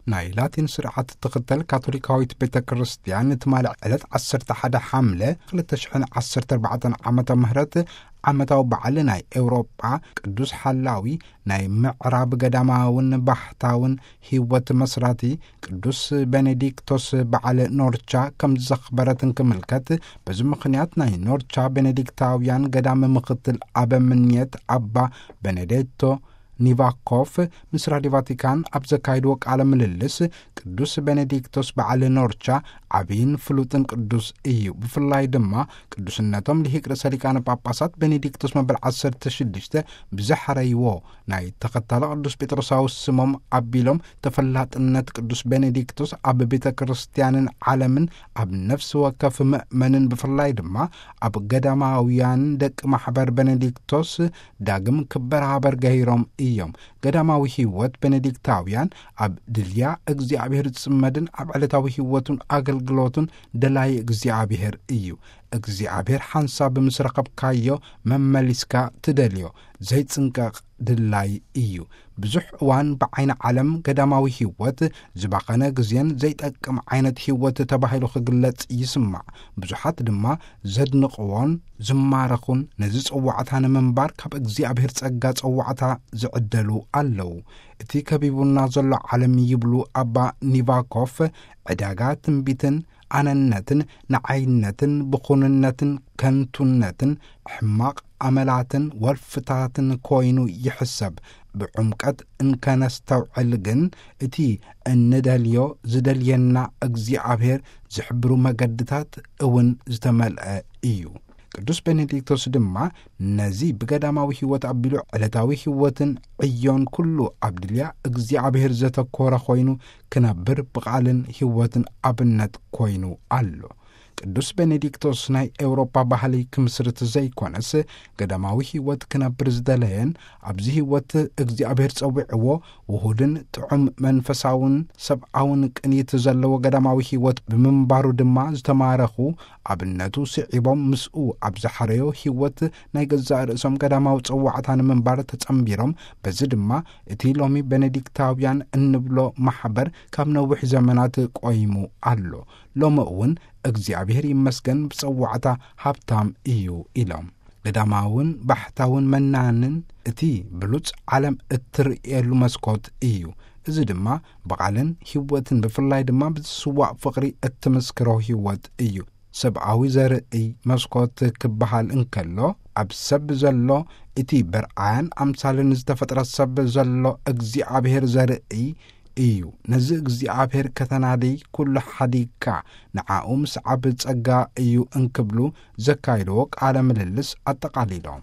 ናይ ላቲን ስርዓት እትኽተል ካቶሊካዊት ቤተ ክርስቲያን፣ ትማሊ ዕለት ዓሰርተ ሓደ ሓምለ ክልተ ሽሕን ዓሰርተ ኣርባዕተን ዓመተ ምህረት ዓመታዊ በዓል ናይ ኤውሮጳ ቅዱስ ሓላዊ፣ ናይ ምዕራብ ገዳማውን ባሕታውን ህይወት መስራቲ ቅዱስ ቤኔዲክቶስ በዓል ኖርቻ ከም ዘኽበረትን ክምልከት፣ በዚ ምኽንያት ናይ ኖርቻ ቤኔዲክታውያን ገዳም ምኽትል ኣበምኔት ኣባ ቤኔዴቶ ኒቫኮፍ ምስ ራዲዮ ቫቲካን ኣብ ዘካይድዎ ቃለ ምልልስ፣ ቅዱስ ቤኔዲክቶስ በዓል ኖርቻ ዓብይን ፍሉጥን ቅዱስ እዩ። ብፍላይ ድማ ቅዱስነቶም ልሂቅ ርእሰ ሊቃነ ጳጳሳት ቤኔዲክቶስ መበል ዓሰርተ ሽዱሽተ ብዘሐረይዎ ናይ ተኸታሊ ቅዱስ ጴጥሮሳዊ ስሞም ኣቢሎም፣ ተፈላጥነት ቅዱስ ቤኔዲክቶስ ኣብ ቤተ ክርስቲያንን ዓለምን፣ ኣብ ነፍሲ ወከፍ ምእመንን፣ ብፍላይ ድማ ኣብ ገዳማውያን ደቂ ማሕበር ቤኔዲክቶስ ዳግም ክበራበር ገይሮም እዮም። ገዳማዊ ህይወት ቤኔዲክታውያን ኣብ ድልያ እግዚኣብሔር ዝጽመድን ኣብ ዕለታዊ ህይወቱን ኣገልግሎቱን ደላይ እግዚኣብሔር እዩ። እግዚኣብሔር ሓንሳብ ምስ ረኸብካዮ መመሊስካ ትደልዮ ዘይጽንቀቕ ድላይ እዩ። ብዙሕ እዋን ብዓይኒ ዓለም ገዳማዊ ህይወት ዝባኸነ ግዜን ዘይጠቅም ዓይነት ህይወት ተባሂሉ ክግለጽ ይስማዕ። ብዙሓት ድማ ዘድንቕዎን ዝማረኹን ነዚ ጸዋዕታ ንምንባር ካብ እግዚኣብሔር ጸጋ ጸዋዕታ ዝዕደሉ ኣለዉ። እቲ ከቢቡና ዘሎ ዓለም ይብሉ ኣባ ኒቫኮፍ፣ ዕዳጋ ትንቢትን ኣነነትን ንዓይነትን ብኹንነትን ከንቱነትን ሕማቕ ኣመላትን ወልፍታትን ኮይኑ ይሕሰብ። ብዕምቀት እንከነስተውዕል ግን እቲ እንደልዮ ዝደልየና እግዚኣብሔር ዝሕብሩ መገድታት እውን ዝተመልአ እዩ። ቅዱስ ቤኔዲክቶስ ድማ ነዚ ብገዳማዊ ህይወት ኣቢሉ ዕለታዊ ህይወትን ዕዮን ኩሉ ኣብ ድልያ እግዚኣብሔር ዘተኮረ ኮይኑ ክነብር ብቓልን ህይወትን ኣብነት ኮይኑ ኣሎ። ቅዱስ ቤኔዲክቶስ ናይ ኤውሮጳ ባህሊ ክምስርት ዘይኮነስ፣ ገዳማዊ ህይወት ክነብር ዝደለየን ኣብዚ ህይወት እግዚኣብሔር ጸዊዕዎ ውሁድን ጥዑም መንፈሳውን ሰብኣውን ቅኒት ዘለዎ ገዳማዊ ህይወት ብምንባሩ ድማ ዝተማረኹ፣ ኣብነቱ ስዒቦም ምስኡ ኣብ ዝሓረዮ ህይወት ናይ ገዛእ ርእሶም ገዳማዊ ጸዋዕታ ንምንባር ተጸንቢሮም፣ በዚ ድማ እቲ ሎሚ ቤኔዲክታውያን እንብሎ ማሕበር ካብ ነዊሕ ዘመናት ቆይሙ ኣሎ። ሎሚ እውን እግዚኣብሔር ይመስገን ብጸዋዕታ ሃብታም እዩ ኢሎም። ገዳማውን ባሕታውን መናንን እቲ ብሉጽ ዓለም እትርእየሉ መስኮት እዩ። እዚ ድማ ብቓልን ህይወትን ብፍላይ ድማ ብዝስዋእ ፍቕሪ እትምስክሮ ህይወት እዩ። ሰብኣዊ ዘርእይ መስኮት ክበሃል እንከሎ፣ ኣብ ሰብ ዘሎ እቲ በርኣያን ኣምሳልን ዝተፈጥረ ሰብ ዘሎ እግዚኣብሔር ዘርእይ እዩ። ነዚ እግዚኣብሔር ከተናድይ ኩሉ ሓዲግካ ንዓኡ ምስዓብ ጸጋ እዩ እንክብሉ ዘካይድዎ ቃለ ምልልስ ኣጠቓሊሎም።